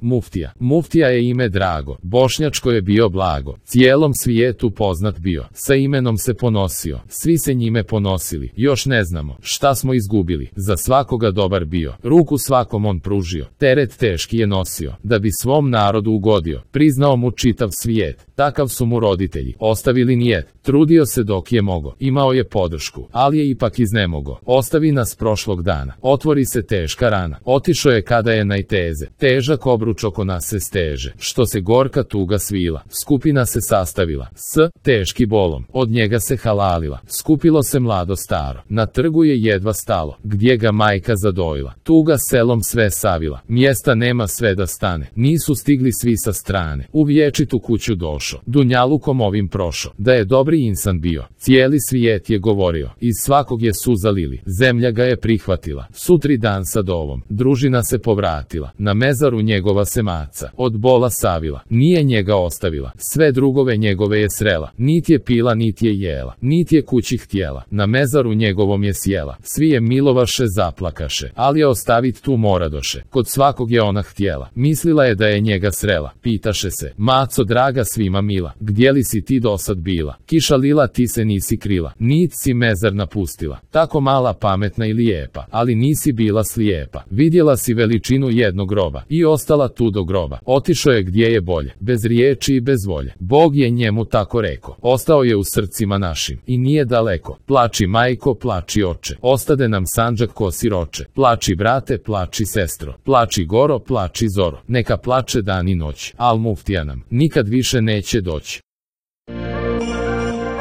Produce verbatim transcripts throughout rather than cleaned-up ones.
Muftija. Muftija je ime drago, bošnjačko je bio blago, cijelom svijetu poznat bio, sa imenom se ponosio, svi se njime ponosili, još ne znamo šta smo izgubili, za svakoga dobar bio, ruku svakom on pružio, teret teški je nosio, da bi svom narodu ugodio, priznao mu čitav svijet, takav su mu roditelji, ostavili nijet, trudio se dok je mogo, imao je podršku, ali je ipak iznemogo, ostavi nas prošlog dana, otvori se teška rana, otišao je kada je najteze, težak obruč oko nas se steže, što se gorka tuga svila, skupina se sastavila, s teški bolom, od njega se halalila, skupilo se mlado staro, na trgu je jedva stalo, gdje ga majka zadojila, tuga selom sve savila, mjesta nema sve da stane, nisu stigli svi sa strane, u vječitu kuću došo, dunjalukom ovim prošo, da je dobri insan bio, cijeli svijet je govorio, iz svakog je suza lili, zemlja ga je prihvatila, sutri dan sa dovom, družina se povratila, na mezaru njegova se maca, od bola savila, nije njega ostavila, sve drugove njegove je srela, nit je pila nit je jela, nit je kući htjela, na mezaru njegovom je sjela, svi je milovaše zaplakaše, ali je ostavit tu moradoše, kod svakog je ona htjela, mislila je da je njega srela, pitaše se, maco draga svima mila, gdje li si ti dosad bila, kiša lila ti se nisi krila, nit si mezar napustila, tako mala pametna i lijepa, ali nisi bila slijepa, vidjela si veličinu jednog groba, i ostala tu do groba, otišao je gdje je bolje, bez riječi i bez volje, Bog je njemu tako reko, ostao je u srcima našim, i nije daleko, plači majko, plači oče, ostade nam Sandžak ko siroče, plači brate, plači sestro, plači goro, plači zoro, neka plače dan i noć, al muftija nam nikad više neće doći.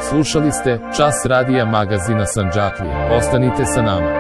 Slušali ste Čas radija magazina Sandžaklija, ostanite sa nama.